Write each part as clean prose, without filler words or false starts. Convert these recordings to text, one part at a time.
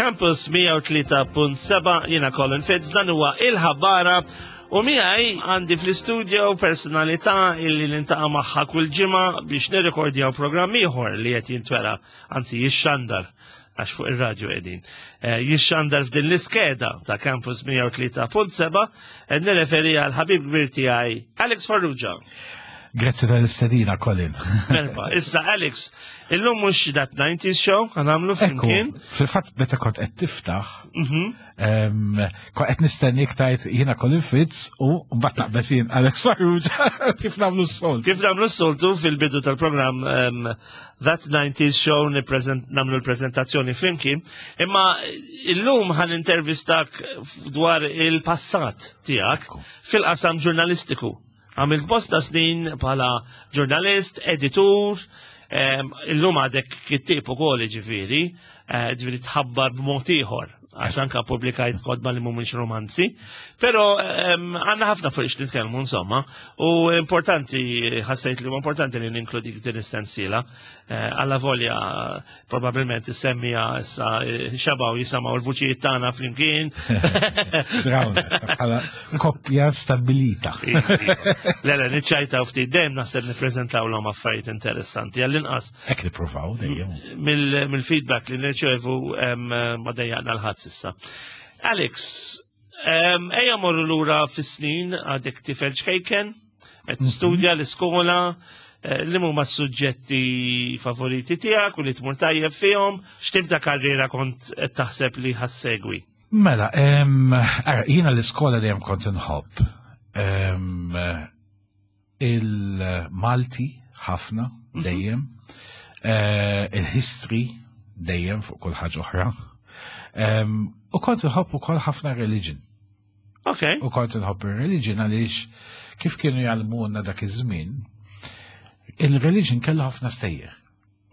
Campus 103.7 jiena Colin Fitz dan huwa il-ħabbara u miegħi għandi fl-istudio personalità illi nintaqa' magħha kull ġimgħa biex nirrekordjaw programm ieħor li qed jintwera, anzi jixxandar għax fuq ir-radju qegħdin. Eh, jixxandar f'din l-iskeda ta' Campus 103.7 qed nirreferi għal ħabib kbir tiegħi Alex Farrugia. Grazzi tal-istedina, Colin. Merba, issa Alex, illum mhux dat 90s show ħanamlu flimkien. Fil-fatt meta kont qed tiftaħ, mhm. kont qed nistenni tajt jiena Colin Fitz u mbagħad naqbeż jien Alex Farrugia kif nagħmlu s-soltu. Kif nagħmlu s-soltu fil-bidu tal-programm That 90s Show nagħmlu l-preżentazzjoni flimkien, imma illum ħan intervistak dwar il-passat tiegħek fil-qasam ġurnalistiku. Għamilt bosta snin bħala ġurnalist, editur, illum għadek kittib ukoll ġifieri, eh, ġifieri tħabbar b'mod ieħor għax anka publikajt kodba li mhumiex romanzi, però għandna ħafna fuq ix nitkellmu insomma, u importanti ħassejt li huwa importanti li ninkludik din is-sensiela, eh, alla volja Probabilment is-semmija issa eh, xabaw jisamaw l-vuċijiet tagħna flimkien. Drawna, bħala koppja stabilita. Le, le, niċċajtaw ftit dejjem naħseb nippreżentaw l-hom affarijiet interessanti għall-inqas. Hekk nippruvaw dejjem. Mill-feedback li nirċevu ma dejjaqna l-ħadd s'issa. Alex, ejja morru lura fis-snin għadek tifel ċkejken, qed tistudja l-iskola, eh, li huma s-suġġetti favoriti tiegħek u li tmur tajjeb fihom, x'tip ta' karriera kont qed taħseb li ħassegwi? Mela, ara, jiena l-iskola dejjem kont inħobb. Il-Malti ħafna mhm. dejjem, eh, il-history dejjem fuq kull ħaġa oħra. U kont inħobb ukoll ħafna religion. Ok. U kont inħobb ir-religion għaliex kif kienu jgħallmuna dak iż-żmien, il-religion kellu ħafna stejjer.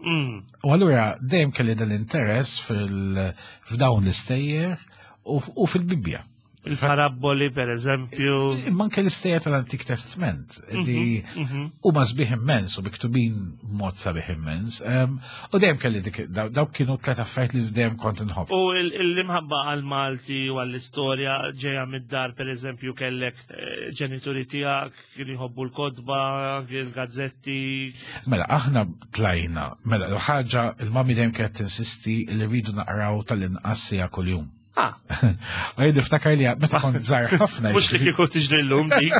Mm. U allura dejjem kelli dal-interess f'dawn l-istejjer u fil-Bibbja. Il-parabboli, per eżempju. Imma anke l-istejjer tal-Antik Testament li mhm, mhm. huma sbieħ immens u miktubin mod sabiħ immens. U dejjem kelli dik dawk kienu tliet affarijiet li dejjem kont inħobb. U l-imħabba għal-Malti u għall-istorja ġejja mid-dar, per eżempju, kellek eh, ġenituri tiegħek kienu jħobbu l-kotba, il-gazzetti. Mela, aħna tlajna, mela, l-ħaġa, il-mami dejjem kienet tinsisti li rridu naqraw tal-inqas sija kuljum. Ah. U jien niftakar li meta kont żgħar ħafna. Mhux li kieku tiġri llum dik.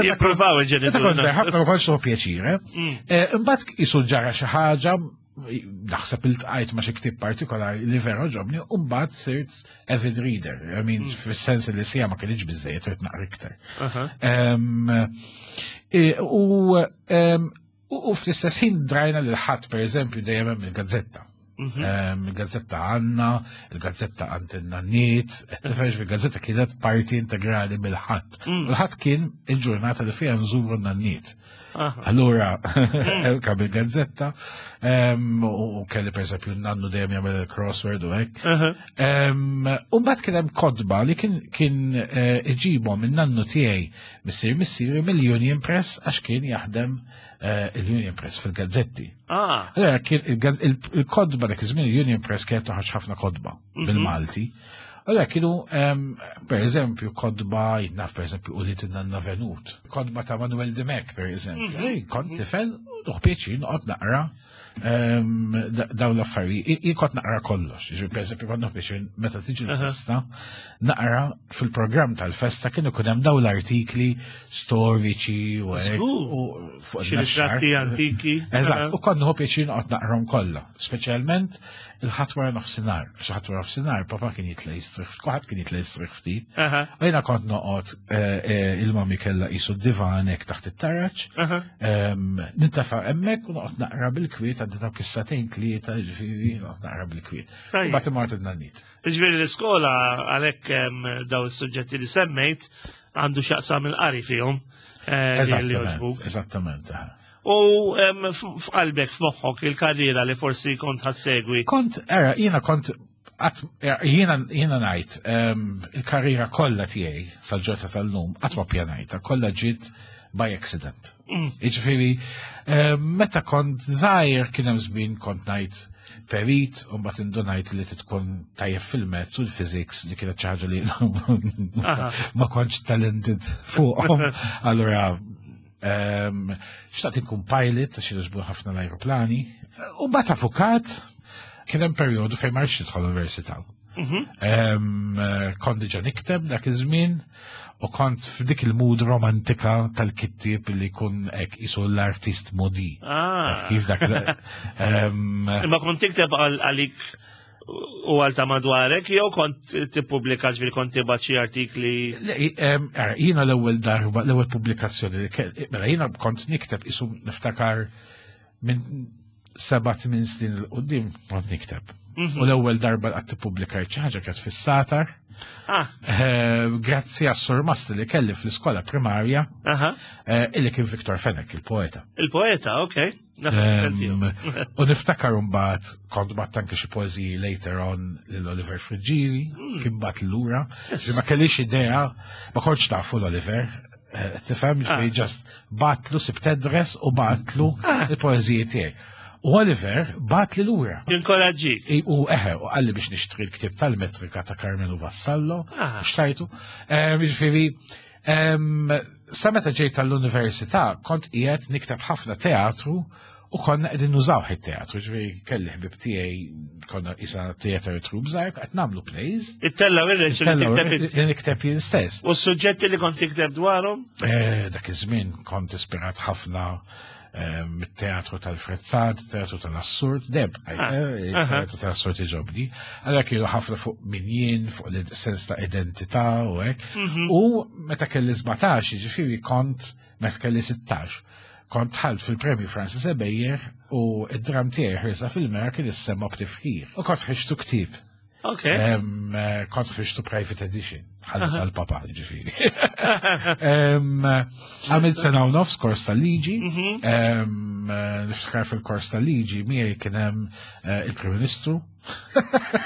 Jippruvaw il-ġenituri. Meta kont żgħar ħafna ma kontx pjaċir. Eh? Mm. Eh, imbagħad isu ġara xi ħaġa naħseb iltqajt ma xi ktieb partikolari li vera ġobni u mbagħad sirt avid reader. I mean, mm. fis-sens li sija ma kienx biżejjed trid naqra iktar. Eh, u U fl-istess ħin drajna lil ħadd pereżempju dejjem hemm il-gazzetta. Mhm. Ehm, il-gazzetta għanna, il-gazzetta għand in-nanniet, qed nifhem il-gazzetta kienet parti integrali mill-ħadd. Mm. Il-ħadd kien il-ġurnata li fiha nżuru n-nanniet. Allura, mm. kam il-gazzetta, ehm, u kelli per esempio nannu dejjem jagħmel il-crossword u hekk. Ehm, u mbagħad kien hemm kotba li kien eh, iġibhom in-nannu tiegħi Missier missieri mill-Union Press għax kien jaħdem eh, il-Union Press fil-gazzetti. Ah. Allora kien il-kodba dak iż-żmien il-Union Press kienet toħroġ ħafna kodba mhm. bil-Malti. Allora kienu per eżempju kodba jinnaf per eżempju u li tinna Venut, kodba ta' Manuel Dimek per eżempju. Mhm. Kont tifel, uħ pjaċir noqgħod naqra dawn l-affarijiet, jien kont naqra kollox, ġifieri pereżempju kont biex meta tiġi l-festa, naqra fil-programm tal-festa kienu ikun hemm dawn l-artikli storiċi u fuq ritratti antiki. Eżatt, u kont nieħu pjaċir noqgħod naqrahom kollha, speċjalment il-ħadd wara nofsinhar, xi ħadd wara nofsinhar papa kien jitla' jistrieħ, kulħadd kien jitla' jistrieħ ftit. U jiena kont noqgħod eh, eh, il-mami kellha qisu divan hekk taħt it-taraġ, Nintafa' hemmhekk u noqgħod naqra bil-kwiet għandi dawk is-satejn tlieta, ġifieri noqgħod naqra bil-kwiet. Mbagħad imort id-nannit. Ġifieri l-iskola għalhekk daw is-suġġetti li semmejt għandu x'jaqsam il-qari fihom. Eh, eżattament. U f'qalbek, f'moħħok, il-karriera li forsi kont ħassegwi. Kont, era, jiena kont jiena jiena ngħid il-karriera kollha tiegħi sal-ġorta tal-lum qatt ma pjanajta, kollha ġiet by accident. Mm. Jiġifieri meta kont żgħir kien hemm żmien kont ngħid perit u mbagħad indunajt li tkun tajjeb fil-mezz u l-physics li kienet xi ħaġa li ma kontx talented fuqhom. Allura xtaqt inkun pilot għax jogħġbu ħafna l-ajruplani. U mbagħad avukat kien hemm perjodu fejn ma rridx nidħol università. Kont diġà nikteb dak iż-żmien u kont f'dik il-mood romantika tal-kittib li jkun hekk isu l-artist modi. Ah. Kif dak. Imma kont tikteb għalik u għal ta' madwarek, jew kont tippubblika ġifieri kont tibgħat xi artikli? Jiena l-ewwel darba, l-ewwel pubblikazzjoni, mela jiena kont nikteb isu niftakar minn 7-8 snin l-qoddim kont nikteb. U l-ewwel darba qatt tippubblikajt xi ħaġa kienet fis-satar. Ah. Eh, grazzi għas-surmast li kelli fl-iskola primarja, eh, illi kien Viktor Fenek, il-poeta. Il-poeta, ok. U niftakar mbagħad kont bat anke xi poeżiji later on lil Oliver Friggieri, kien bat lura. Ma kellix idea, ma kontx nafu l-Oliver, eh, tifhem ah. just batlu sibt address u batlu ah. il-poeżiji tiegħi. U Oliver bat li lura. Inkoraġġi. U eħe, u għalli biex nixtri l-ktib tal-metrika ta' Carmelo Vassallo, ah. xtajtu. Ġifieri, sa meta ġejt tal-università kont qiegħed nikteb ħafna teatru U konna qegħdin nużaw it-teatru, ġifieri kelli ħbib tiegħi konna isa theater troupe żgħir qed nagħmlu plays. It-tella li nikteb jien stess. U s-suġġetti li kont tikteb dwarhom? Eh, dak iż-żmien kont ispirat ħafna eh, mit-teatru tal-frezzat, teatru tal-assurd, deb, ah, eh, teatru tal-assurd iġobni. Għalhekk kienu ħafna fuq min jien, fuq l-sens ta' identità u hekk. Mhm. U meta kelli 17, ġifieri kont meta kelli 16, kont dħalt fil-premju Francis Ebejer u id-dram tiegħi ħirsa fil-mera kien issemma b'tifħir. U kont ħriġtu ktieb. Ok. Eh, kont ħriġtu private edition, ħallas għal papa ġifieri. Għamilt sena u nofs kors tal-liġi, mhm. eh, niftakar fil-kors tal-liġi miegħi kien hemm eh, il-Prim Ministru,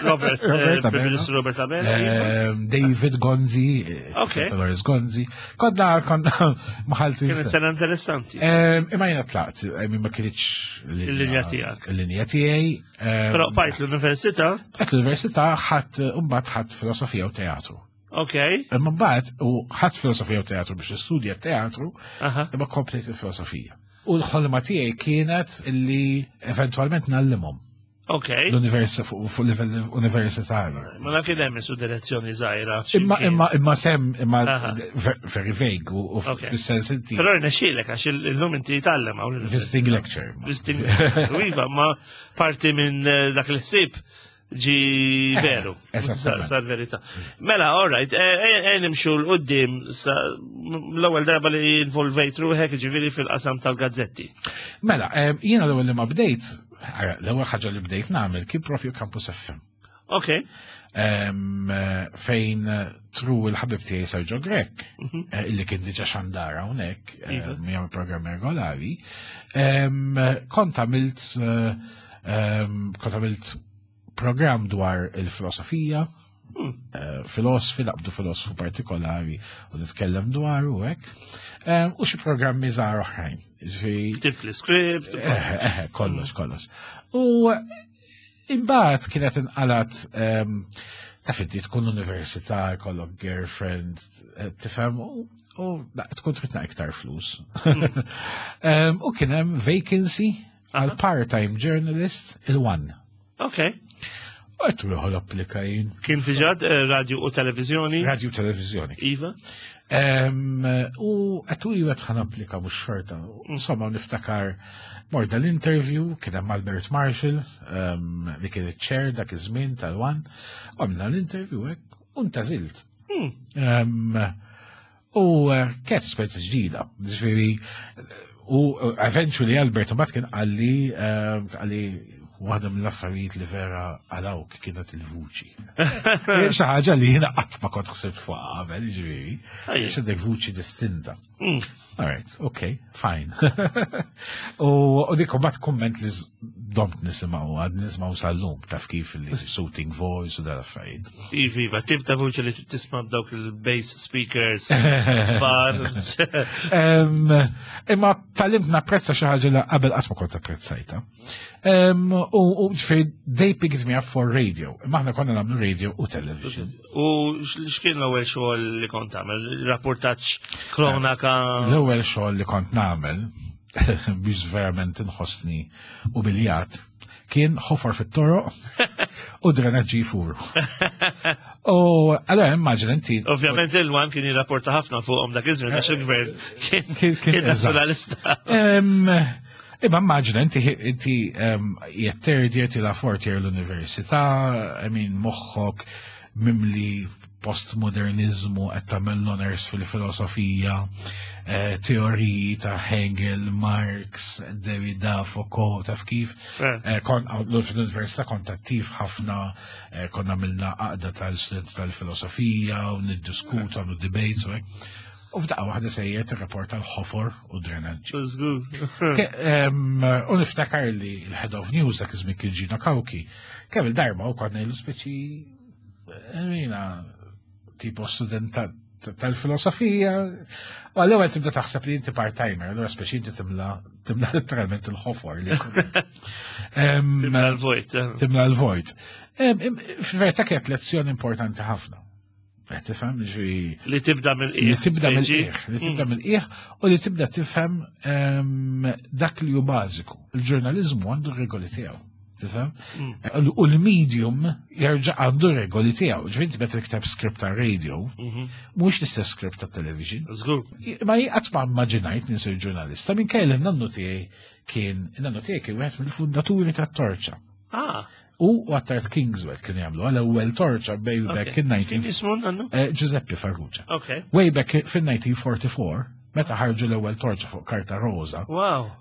Robert, eh, Robert Ministru Robert Abela. Ehm, David Gonzi, eh, okay. Dolores Gonzi. Konna, konna maħalti. Kienet sena interessanti. Ehm, imma jena tlaqt, eh, ma kienx l-linja tijak. L-linja tijaj. Ehm, Pero bajt l-università? Bajt l-università ħadd mbagħad ħadd filosofija u teatru. Ok. Imma mbagħad u ħadd filosofija u teatru biex istudja teatru, imma komplejt il-filosofija. U l-ħolma tiegħi kienet illi eventwalment nallimhom. Ok. L-universi fuq livell universitarju. Ma dak hemm su direzzjoni żgħira. Imma imma imma sem imma very vague u fis-sens inti. Però rnexxielek għax illum inti tgħallem hawn. Visiting lecture. Visiting Iva, ma parti minn eh, dak il-ħsieb ġi eh, veru. Sar verità. Mela, all right, eh, eh, nimxu l-qoddim l-ewwel darba li involvejt ruħek ġifieri fil-qasam tal-gazzetti. Mela, jiena l-ewwel li ma bdejt L-ewwel ħaġa li bdejt nagħmel kien propju Campus FM. Ok. Fejn tru il-ħabib tiegħi Sergio Grek, mhm. eh, illi kien diġà xandara hawnhekk, eh, iva. jagħmel programm regolari, kont għamilt kont għamilt programm dwar il-filosofija, eh, filosofi, naqbdu filosofu partikolari u nitkellem dwar u hekk. Eh, u xi programmi żgħar oħrajn. Ktibt l-iskript. Eh, kollox, kollox. U imbagħad kienet inqalat ehm, taf inti tkun università, kollok girlfriend, tifhem, u tkun tridna iktar flus. Ehm, u kien hemm vacancy għal part-time journalist il-one. Ok. Għet ruħu applika jien. Kien diġà eh, radio u televizjoni? Radio u televizjoni. Iva. U għet u jgħet ħan applika mux xorta. Insomma, niftakar mor dal-interview, kien hemm Albert Marshall, li kien iċ-chair dak iż-żmien tal-wan, għamna l-interview hekk, u ntażilt. Hmm. U eh, kienet esperjenza ġdida, ġifieri u eh, eventually Albert mbagħad kien qalli eh, qalli waħda mill-affarijiet li vera għalawk kienet il-vuċi. Xi ħaġa li jiena qatt ma kont ħsibt fuq qabel, ġifieri. Għax għandek vuċi distinta. Mm. All right, okay, fine. U dik mbagħad kumment li domt nisimgħu għad nisimgħu sal-lum taf kif li shooting voice u dal-affarijiet. Iva, iva, tip ta' vuċi li tisma' b'dawk il-bass speakers. Bar. Imma tgħallimt napprezza xi ħaġa li qabel qatt ma kont apprezzajta. U ġifieri they picked me up for radio. Imma aħna konna nagħmlu radio u television. U x'kien l-ewwel xogħol li kont tagħmel? Rapportaġġ, kronaka? L-ewwel xogħol li kont nagħmel biex verament inħossni umiljat kien ħofor fit-toroq u drenaġġi jfuru. U allora immaġina inti. Ovvjament il-wan kien jirrapporta ħafna fuqhom dak iż-żmien għax il-gvern kien nazzjonalista. Imma immaġina inti inti qiegħed third year tila fourth year l-università, I mean moħħok mimli postmodernizmu qed tagħmel l-honors fil-filosofija, eh, teoriji ta' Hegel, Marx, Derrida, Foucault, taf kif. Eh. eh, kon fl-università kont attiv ħafna, konna għamilna għaqda tal-studenti tal-filosofija u niddiskutu għamlu debates u hekk. U f'daqqa waħda sejjer tirrapporta l-ħofor u drenaġġi. U niftakar li l-head of news dak iż-żmien kien Gino Kawki, kemm il-darba u konna ilu speċi jina tipo student tal-filosofija. U għall-ewwel tibda taħseb li inti part-timer, allura speċi inti timla timla letteralment il-ħofor li Timla l-vojt. Eh. Timla l-vojt. Fil-verità kienet lezzjoni importanti ħafna. Qed tifhem ġi. Li tibda mill-qiegħ. Li tibda mill-qiegħ, li tibda mm. mill-qiegħ u li tibda tifhem dak li hu bażiku. Il-ġurnaliżmu għandu regoli tiegħu. Tifhem? Mm. U l-medium jerġa' għandu regoli tiegħu. Ġifieri inti meta tikteb script ta' radio, mhm. mhux l-istess script ta' television. Żgur. Ma qatt ma immaġinajt nisir ġurnalista minn kelli nannu tiegħi kien nannu tiegħi kien wieħed mill-fundaturi tat-torċa. Ah. U Attard Kingswell kienu jagħmlu għal ewwel torċa way back in 19 Ismu nannu? Eh, Giuseppe Farrugia. Okay. Way back fin-1944, meta ħarġu l-ewwel torċa fuq karta roża. Wow.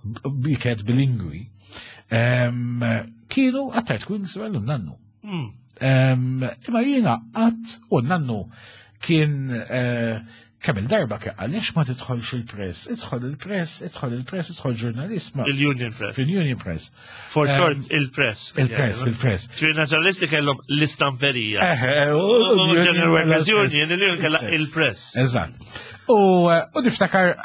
Bi kienet bilingwi. Kienu Attard Kingswell u nannu. Hmm. Imma jiena qatt u nannu kien eh, Kemm il-darba kien għaliex ma tidħolx il-press, idħol il-press, idħol il-press, idħol ġurnalist. Il-Union Press. Il-Union Press. For short, il-press. Il-press, il-press. Ġifieri nazzjonalisti kellhom l-istamperija. General Workers Union, il-Union kellha il-press. Eżatt. U niftakar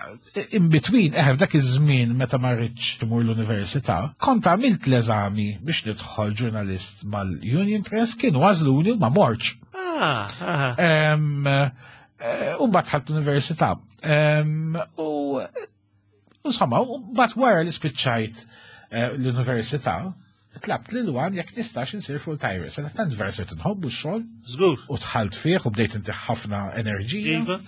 in between, eħe f'dak iż-żmien meta ma rridx timur l-università, kont għamilt l-eżami biex nidħol ġurnalist mal-Union Press, kienu għażluni u ma mortx. Ah, ah. Eh, u mbagħad ħadt l-università. U insomma, u mbagħad wara li spiċċajt eh, l-università, tlabt lil wan jekk nistax insir full timer. Sa tant vera sirt nħobbu x-xogħol. Żgur. U dħalt fih u bdejt inti ħafna enerġija. Iva.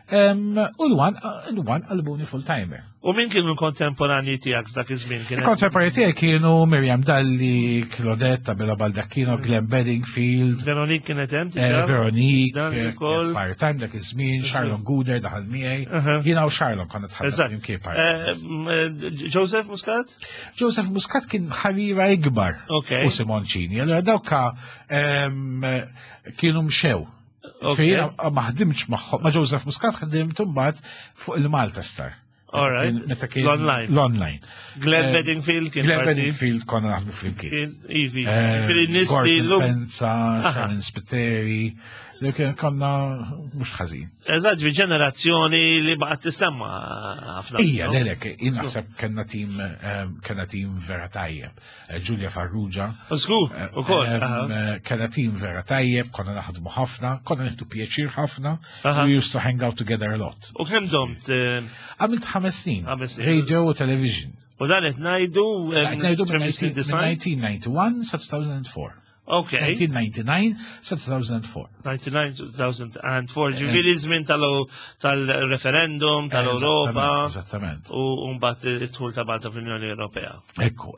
U l-wan l-wan qalbuni full timer. U min kienu l-kontemporanji tiegħek f'dak iż-żmien? Il-kontemporanji tiegħek kienu Miriam Dalli, Claudette, Abela Baldacchino, mm. Glenn Bedingfield. Veronique kienet hemm eh, Veronique, eh, part-time dak iż-żmien, Charlon Guder daħal miegħi. Jiena u Charlon konna tħaddem imkien part. Eh, Joseph Muscat? Joseph Muscat kien ħarira ikbar. U Simoncini. Allora dawka kienu mxew. Fejn ma ħdimx magħhom, ma' Joseph Muscat ħdimt imbagħad fuq il-Malta Star. All right. Meta kien l-online. L-online. Glenn eh, Bedingfield kien. Glenn Bedingfield konna naħdmu flimkien. Ivi. Eh, nies li l Penza, Sharon Spiteri, li kien konna mhux ħażin. Eżatt, ġi ġenerazzjoni li baqgħet tisemma ħafna. Ija, lelek, naħseb kellna tim eh, kellna tim vera tajjeb. Eh, Giulia Farrugia. Żgur, eh, ukoll. Eh, kellna tim vera tajjeb, konna naħdmu ħafna, konna nieħdu pjaċir ħafna, we used to hang out together a lot. U kemm domt? Għamilt ħames snin. Radio u television. U dan qed ngħidu ngħidu 1991 sa 2004. Ok. 1999 sa 2004. 99 2004, ġifieri żmien tal-referendum, tal-Europa. Eżattament. U mbagħad id-dħul ta' Malta fl-Unjoni Ewropea. Ekku.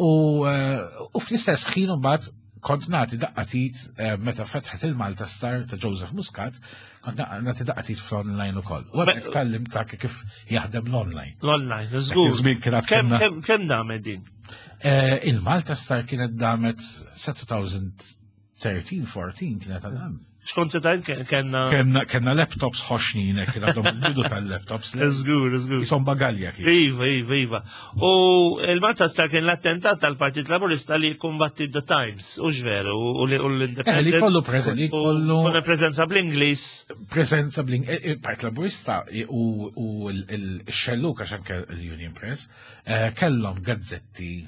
U eh, fl-istess ħin mbagħad kont nagħti daqqatit eh, meta fetħet il-Malta Star ta' Joseph Muscat, kont nagħti daqqatit fl-online ukoll. U għadek tallim ta' kif jaħdem l-online. L-online, żgur. Kemm damet din? Eh, Il-Malta Star kienet damet sa 2013, 14 kienet għadam. Xkont se tajt kenna. Kenna kenna laptops ħoxnin, kien għadhom il-bidu tal-laptops. Żgur, żgur. Jisom bagalja kien. Iva, iva, iva. U il-Malta Star kien l-attentat tal-Partit Laburista li kumbatti The Times, u ġveru, u l-Independent. Eh, li kollu preżent, li kollu. Preżenza bl-Ingliż. Preżenza bl-Ingliż, eh, il-Partit Laburista u l-xelluk għax anke l-Union Press, Eh, kellhom gazzetti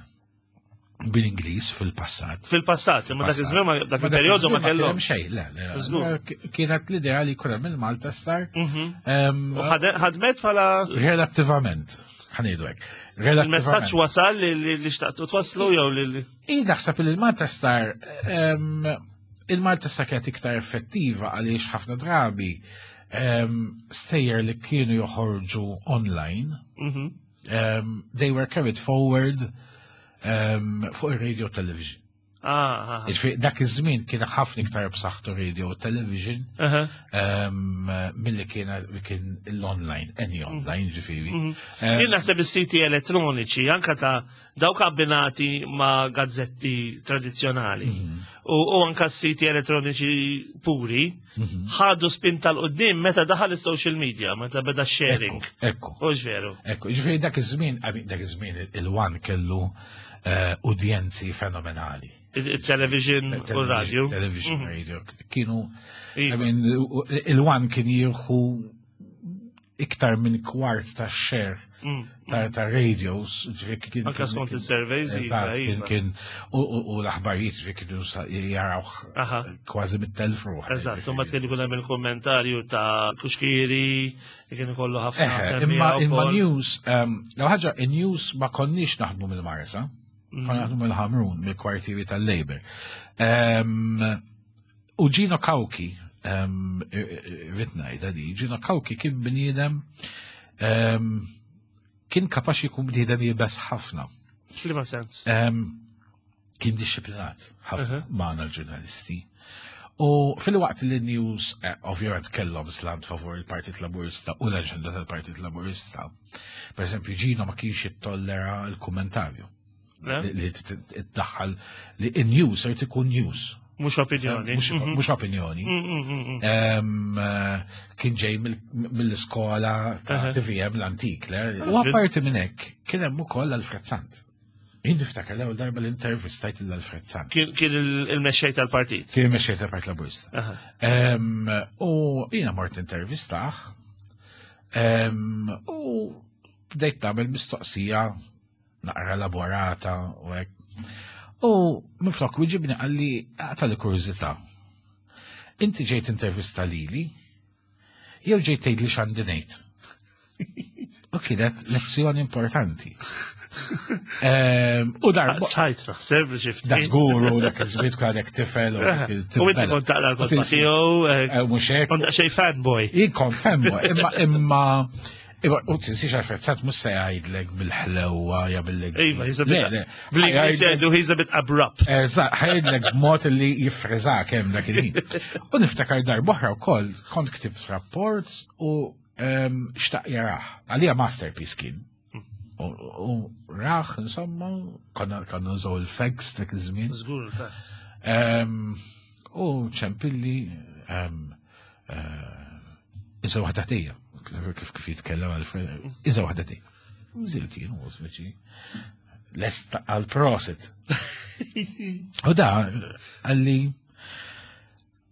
Bil-Ingliż fil-passat. Fil-passat, imma dak iż-żmien dak il-perjodu ma kellhom. Xejn, le, le. Kienet l-idea li jkun hemm il-Malta Star. Mhm. U ħadmet bħala. Relattivament, ħanidu hekk. Il-messaġġ wasal li xtaqtu twaslu jew li. Jien naħseb li l-Malta Star il-Malta Star kienet iktar effettiva għaliex ħafna drabi stejjer li kienu joħorġu online. Mhm. They were carried forward fuq ir-radio television. Ah, ah, ah. Dak iż-żmien kien ħafna iktar b'saħħtu radio u television milli kien kien l-online, any mhm. online ġifieri. Mhm. Jien naħseb is-siti elettroniċi anka ta' dawk abbinati ma' gazzetti tradizzjonali mhm. u anka s-siti elettroniċi puri Mhm. ħadu spinta l-qoddim meta daħal is-social media, meta beda sharing. Ekku. U veru. Ekku, ġifieri dak iż-żmien, dak iż-żmien il-one kellu eh, udjenzi fenomenali. Il-television u radio. Television mhm. radio. Kienu, iva. il-one kien jieħu iktar minn kwart ta' share mm. ta' radios. Anka skont il-surveys. Iva, iva. Kien u l-aħbarijiet ġifieri kienu jaraw kważi mit-telf ruħ. Eżatt, u ma kien ikun hemm il-kommentarju ta' Kuxkiri, kien ikollu ħafna. Imma imma news, ehm, l ħaġa in-news ma konniex naħdmu mill-Marsa, mm. konna naħdmu mill-Ħamrun, mill-kwartieri tal-Labor. Ehm, U Gino Cauchi, rrid ngħidha di, Gino Cauchi kien bniedem kien kapaċi jkun bniedem jibes ħafna. F'liema sens? Kien dixxiplinat ħafna magħna l-ġurnalisti. U fil-waqt li news eh, ovvjament kellhom slant favur il-Partit Laburista u l-aġenda tal-Partit Laburista. Per eżempju, Gino ma kienx jittollera l-kummentarju. Li tdaħħal li in-news irid ikun news. Mhux opinjoni. Mhux mhm. opinjoni. Mm, mm, mm, eh, kien ġej mill-iskola ta' TVM l-antik. U apparti minn hekk kien hemm ukoll Alfred Sant. Jien niftakar l-ewwel darba l-intervistajt lil Alfred Sant. Kien il-mexxej tal-partit. Kien il-mexxej tal-Partit Laburista. U jiena mort intervistah u bdejt nagħmel mistoqsija naqra elaborata u hekk. U minflok wieġibni qalli għata li kurżità. Inti ġejt intervista lili, jew ġejt tgħidli x'għandi ngħid. U kienet lezzjoni importanti. Ehm, u darba. Sajt naħseb ġift. Da żgur u dak iż-żmien tkun għadek tifel. U inti kont taqra l-kotba tiegħu. Eh, eh, mhux hekk. Kont xejn fanboy. Jien kont fanboy, imma imma Iva, u tinsiex Alfred Sant mhux se jgħidlek bil-ħlewwa ja bil Iva, he's a bit. Bl-Ingliż jgħidu he's a bit abrupt. Eżatt, ħajdlek b'mod li jiffriżak hemm dak il-ħin. U niftakar darb'oħra wkoll kont ktibt rapport u ehm, xtaq jarah. Għalija masterpiece kien. U raħ, insomma, konna konna nżaw il-fax dak iż-żmien. Żgur, fax. Ehm, u ċempilli ehm, eh, iża waħda tija, kif kif jitkellem għal iża waħda tija. Nżilt jien u speċi lest għal prosit. U da għalli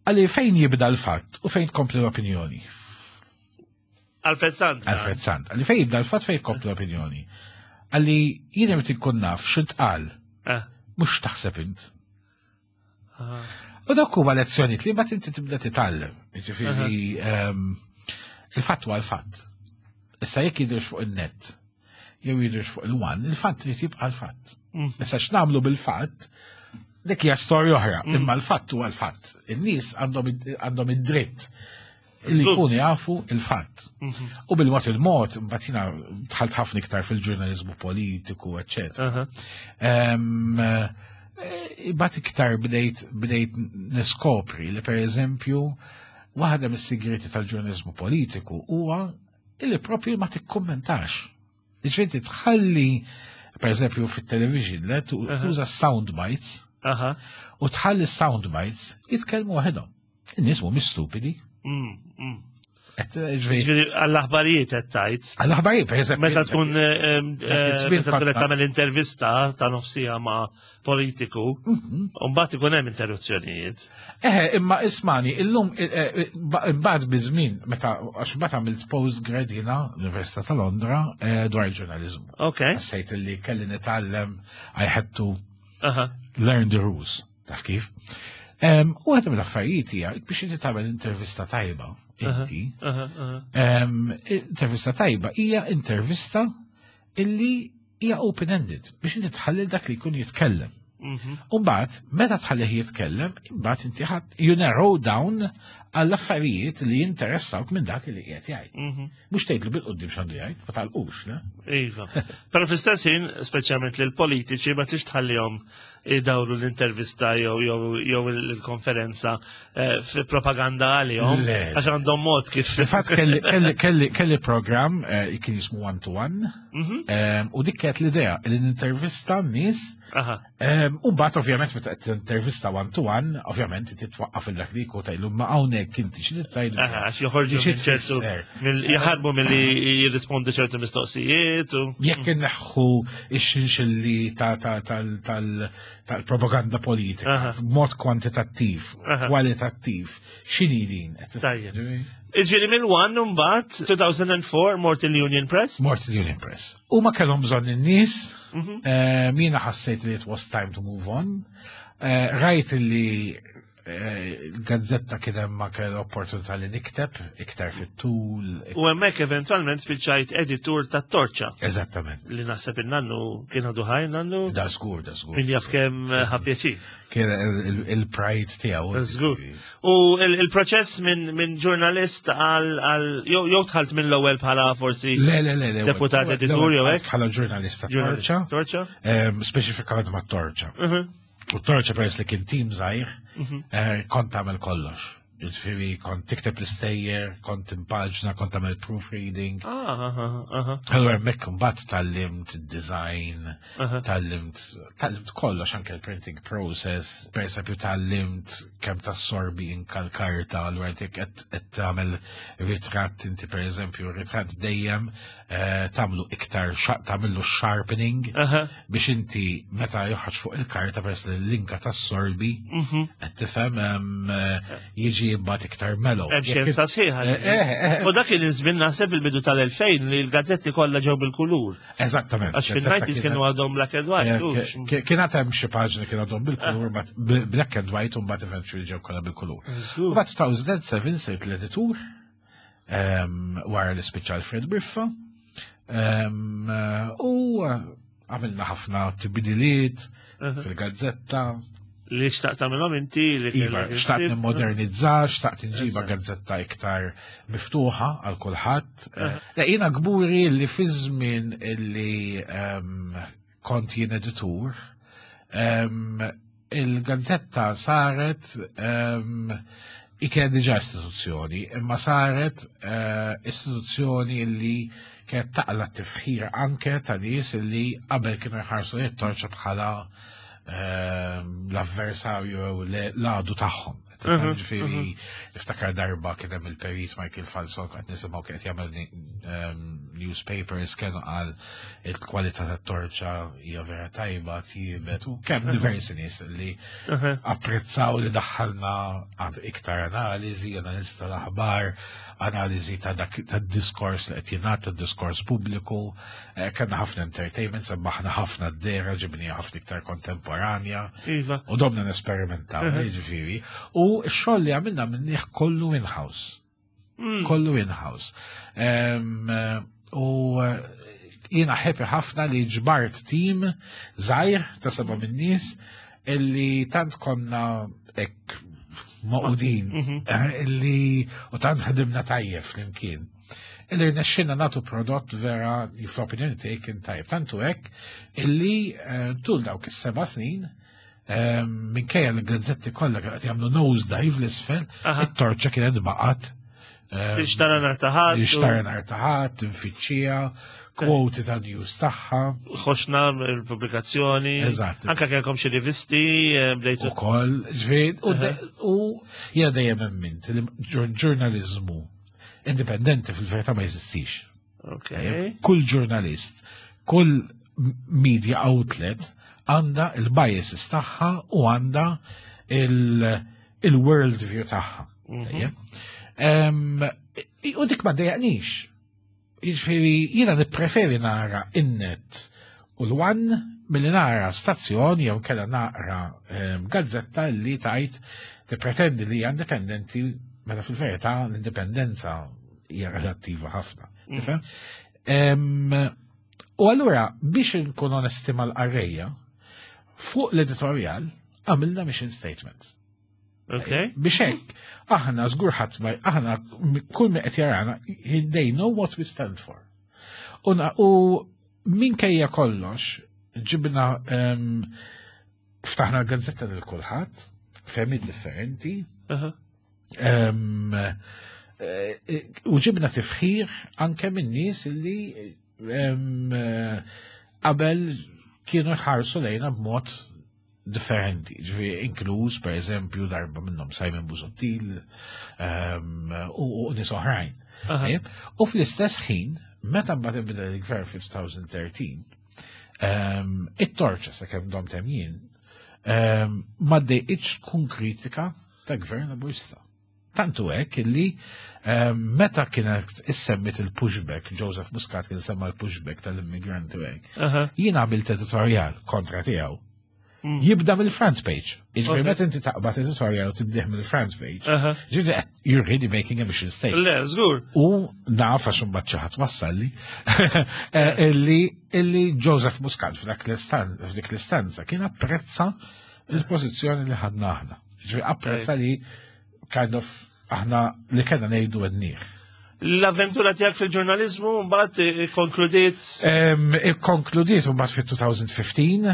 għalli fejn jibda l-fatt u fejn tkompli l-opinjoni. Alfred Sant. Alfred Sant. Għalli fejn jibda l-fatt fejn tkompli l-opinjoni. Għalli jien irid inkun naf x'intqal. Eh. Mhux taħseb int. Ah. U dawk huma lezzjonijiet li mbagħad inti tibda titgħallem. Jiġifieri ehm, il-fatt huwa l-fatt. Issa jekk jidhirx fuq in-net jew jidhirx fuq il-one, il-fatt trid jibqa' l-fatt. Mm. Issa x'nagħmlu bil-fatt, dik hija storja oħra, mm. imma l-fatt huwa l-fatt. In-nies għandhom id-dritt li jkunu jafu il-fatt. Mhm. U bil-mod il-mod, mbagħad jiena dħalt ħafna iktar fil-ġurnaliżmu politiku, eċċetera. Eh, imbagħad iktar bdejt bdejt niskopri li pereżempju waħda mis-sigreti tal-ġurnaliżmu politiku huwa li propju ma tikkummentax. Ġifieri tħalli per eżempju fit-television le tuża sound bites u tħalli sound bites jitkellmu waħedhom. In-nies mhumiex stupidi. Mm, mm. Ġifieri għall-aħbarijiet qed tgħid. Għall-aħbarijiet, pereżempju. Meta tkun eh, eh, meta tkun qed tagħmel intervista ta' nofsija ma' politiku, mhm. u mbagħad ikun hemm interruzzjonijiet. Eħe, imma ismani, illum eh, mbagħad biż-żmien meta għax mbagħad għamilt postgrad jiena l-Università ta' Londra dwar il-ġurnaliżmu. Ok. Sejt li kelli nitgħallem I had to. Learn the rules, taf kif? U għadem l-affarijiet hija biex inti tagħmel intervista tajba, inti. Intervista tajba hija intervista illi hija open-ended biex inti tħalli dak li jkun jitkellem. U mbagħad meta tħallih jitkellem, imbagħad inti ħadd you narrow down għall affarijiet li jinteressawk minn dak li qiegħed jgħid. Mhux tgħidlu bil-qudiem x'għandu jgħid, ma talqux, le? Iva. Però fl-istess ħin, speċjalment lil politiċi ma tix tħallihom idawru l-intervista jew il-konferenza eh, fi propaganda għalihom għax għandhom mod kif. Fil-fatt kelli programm eh, kien jismu one to one eh, u dik kienet l-idea li nintervista nies. U mbagħad ovvjament meta qed intervista one to one, ovvjament titwaqqaf il dak li jkun tgħidlu ma hawnhekk inti xi tgħidu. Għax joħorġu minn ċertu jaħarbu milli jirrispondu ċertu mistoqsijiet u. Jekk inneħħu ix-xinxilli tal-propaganda politika b'mod kwantitattiv, kwalitattiv, x'inhi din? Tajjeb. Iġieli mill-One mbagħad 2004 mort il-Union Press? Mort il-Union Press. U ma kellhom bżonn in-nies, jiena ħassejt li it was time to move on. Rajt li l-gazzetta kien hemm ma kell opportunità li nikteb iktar fit-tul. U hemmhekk eventwalment spiċċajt editur tat-Torċa. Eżattament. Li naħseb in-nannu kien għadu ħaj nannu. Da żgur, da żgur. Min jaf kemm ħa pjaċir. Kien il-pride tiegħu. Żgur. U il-proċess minn ġurnalist għal jew dħalt minn l-ewwel bħala forsi Le, le, le, le. deputat editur jew hekk? Bħala ġurnalista Torċa. Torċa? Speċifikament ma' Torċa. U Torċa peress li kien tim żgħir, kont tagħmel kollox. Jiġifieri kont tikteb l-istejjer, kont impaġna, kont tagħmel proofreading. Allura hemmhekk imbagħad tgħallimt design, tgħallimt kollox anke l-printing process, per esempio tgħallimt kemm tassorbi inka l-karta, allura dik qed tagħmel ritratt inti per eżempju, ritratt dejjem tagħmlu iktar tagħmillu sharpening biex inti meta joħroġ fuq il-karta peress li l-inka tassorbi qed tifhem jiġi mbagħad iktar mellow. Hemm xjenza sħiħa. U dak kien iż-żmien naħseb fil-bidu tal-2000 li l-gazzetti kollha ġew bil-kulur. Eżattament. Għax fil-90s kienu għadhom black and white. Kien għad hemm xi paġni kienu għadhom bil-kulur, black and white u mbagħad eventually ġew kollha bil-kulur. Mbagħad 2007 sirt l-editur wara li spiċċa Alfred Briffa. U għamilna ħafna tibdiliet fil-gazzetta. Li xtaqt tagħmilhom inti li Iva, xtaqt nimmodernizza, xtaqt nġiba gazzetta iktar miftuħa għal kulħadd. Le jiena kburi li fi żmien li kont jien editur, il-gazzetta saret kienet diġà istituzzjoni, imma saret istituzzjoni li kienet taqla tifħir anke ta' nies li qabel kienu jħarsu it-Torċa bħala l-avversarju jew l-għadu tagħhom. Ġifieri, niftakar darba kien hemm il-perit Michael Falzon qed nisimgħu kien jagħmel newspapers kienu qal il-kwalità tat-Torċa hija vera tajba tjiebet u kemm diversi nies li apprezzaw li daħħalna għand iktar analiżi, analiżi tal-aħbar, analiżi ta' dak tad-diskors li qed jingħad, tad-diskors pubbliku, kellna ħafna entertainment, sebbaħna ħafna d-dehra, ġibni ħafna iktar kontemporanja. U domna nesperimentaw, jiġifieri. U x-xogħol li għamilna minniħ kollu in-house. Kollu in-house. U jiena happy ħafna li ġbart team żgħir ta' seba' min-nies illi tant konna hekk magħqudin illi u tant ħdimna tajjeb flimkien. Illi rnexxinna nagħtu prodott vera fl-opinjoni tiegħi kien tajjeb. Tantu hekk illi tul dawk is-7 snin minkejja li gazzetti kollha kienu qed jagħmlu nose dive l-isfel, it-Torċa kienet baqgħet Tixtara nhar ta' Ħadd. Tixtara nhar ta' Ħadd, tinfittxija, kwoti ta' news tagħha. Ħoxna il-pubblikazzjoni. Eżatt. Anka kellkom xi rivisti bdejtu. Ukoll, ġifieri, u jiena dejjem emmint li ġurnaliżmu indipendenti fil-verità ma jeżistix. Kull ġurnalist, kull media outlet għandha il-biases tagħha u għandha il-world view tagħha. U dik ma dejjaqnix. Jiġifieri jiena nippreferi nara in-net u l-One milli nara stazzjon jew kella naqra gazzetta li tajt tippretendi li hija indipendenti meta fil-verità l-indipendenza hija relattiva ħafna. Tifhem? U allura biex nkun onesti mal-qarrejja, fuq l-editorjal għamilna mission statement. Ok. Biex hekk, aħna żgur ħadd ma aħna kull min qed jarana, they know what we stand for. U u minkejja kollox, ġibna ftaħna l-gazzetta lil kulħadd, fehmiet differenti, u ġibna tifħir anke minn nies li qabel kienu jħarsu lejna b'mod differenti, ġifieri inkluż per eżempju darba minnhom Simon Busuttil u nies oħrajn. U fl-istess ħin, meta mbagħad inbidel il-gvern fil-2013, it-torċa sakemm domt hemm jien, ma ddejqitx tkun kritika ta' gvern Laburista. Tantu hekk illi meta kienet issemmit il-pushback, Joseph Muscat kien semma l-pushback tal-immigranti u hekk. Jien għamilt editorial kontra tiegħu. Jibda mill-front page. Jiġifieri meta inti taqbad editorial u tibdih mill-front page, ġifieri you're really making a mission statement. Le, żgur. U naf għax imbagħad xi ħadd wassalli illi illi Joseph Muscat f'dak f'dik l-istanza kien apprezza il-pożizzjoni li ħadna aħna. Ġifieri apprezza li kind of aħna li kellna ngħidu għednieh. L-avventura tiegħek fil-ġurnaliżmu mbagħad ikkonkludiet Ikkonkludiet mbagħad fit-2015,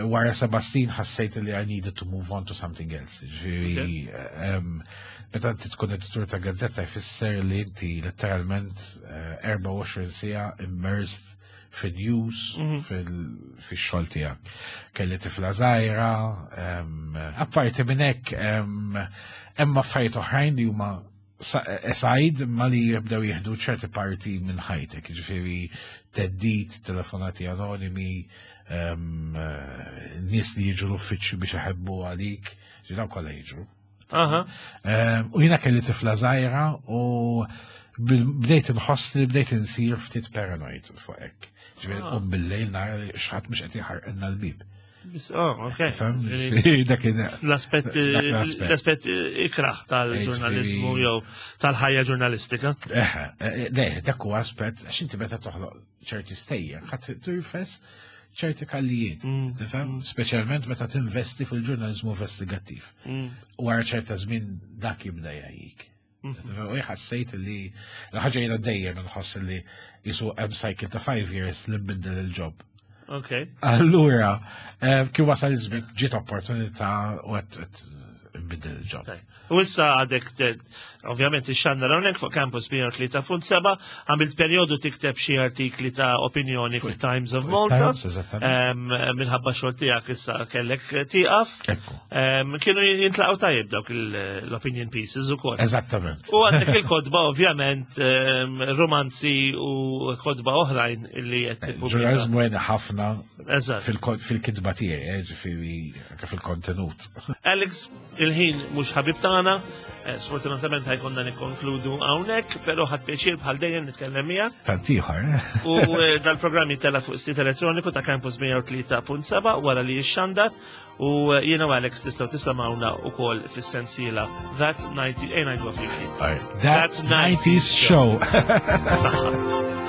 wara seba' snin ħassejt li I needed to move on to something else. Ġifieri, meta inti tkun editur ta' gazzetta jfisser li inti letteralment 24 siegħa immersed fil-news, fil-xogħol tiegħek. Kelli tifla żgħira, apparti minn hekk hemm affarijiet oħrajn li huma aside ma li jibdew jieħdu ċerti parti minn ħajtek, ġifieri theddid, telefonati anonimi, nies li jiġu l-uffiċċju biex iħebbu għalik, ġifieri dawn kollha jiġru. U jiena kelli tifla żgħira u bdejt inħoss li bdejt insir ftit paranoid fuq hekk. Ġifieri qum bil-lejl nara li xi ħadd mhux qed jaħarqilna l-bib. Oh, ok. Fem? Dak L-aspett dak l-aspett. l-aspett ikraħ tal-ġurnalizmu jew tal-ħajja ġurnalistika. Eħe, le, dak huwa aspett, għax inti meta toħloq ċerti stejjer, ħadd tirfes ċerti kallijiet, tifhem? Speċjalment meta tinvesti fil-ġurnalizmu investigattiv. Wara ċerta żmien dak jibda jgħajjik. U ħassejt li l-ħaġa jiena dejjem nħoss li jisu hemm cycle ta' 5 years li nbiddel il-job. Allura, kif wasal iż-żmien ġiet opportunità u qed nbiddel il-job. U issa għadek, ovvjament, ixxandar hawnhekk fuq Campus 103.7, għamilt perjodu tikteb xi artikli ta' opinjoni fil-Times of Fuq Malta. Times, eżattament. Minħabba xogħol tiegħek issa kellek tieqaf. Ekku. Kienu jintlaqgħu tajjeb dawk l-opinion pieces ukoll. Eżattament. U għandek il-kotba ovvjament, romanzi u kotba oħrajn li qed tippubblika. Ġurnalizmu għena ħafna fil-kitba tiegħi, ġifieri anke fil-kontenut. Alex, il-ħin mhux ħabib tagħna, sfortunatament ħa jkollna nikkonkludu hawnhekk, però ħadt pjaċir bħal dejjem nitkellem miegħek. Tant ieħor, eh? U dal-programm jittella' fuq sit elettroniku ta' Campus 103.7 wara li jixxandar u jiena u Alex tistgħu tisimgħuna wkoll fis-sensiela That 90 ejn ngħiduha flimkien. That 90s Show. Saħħa.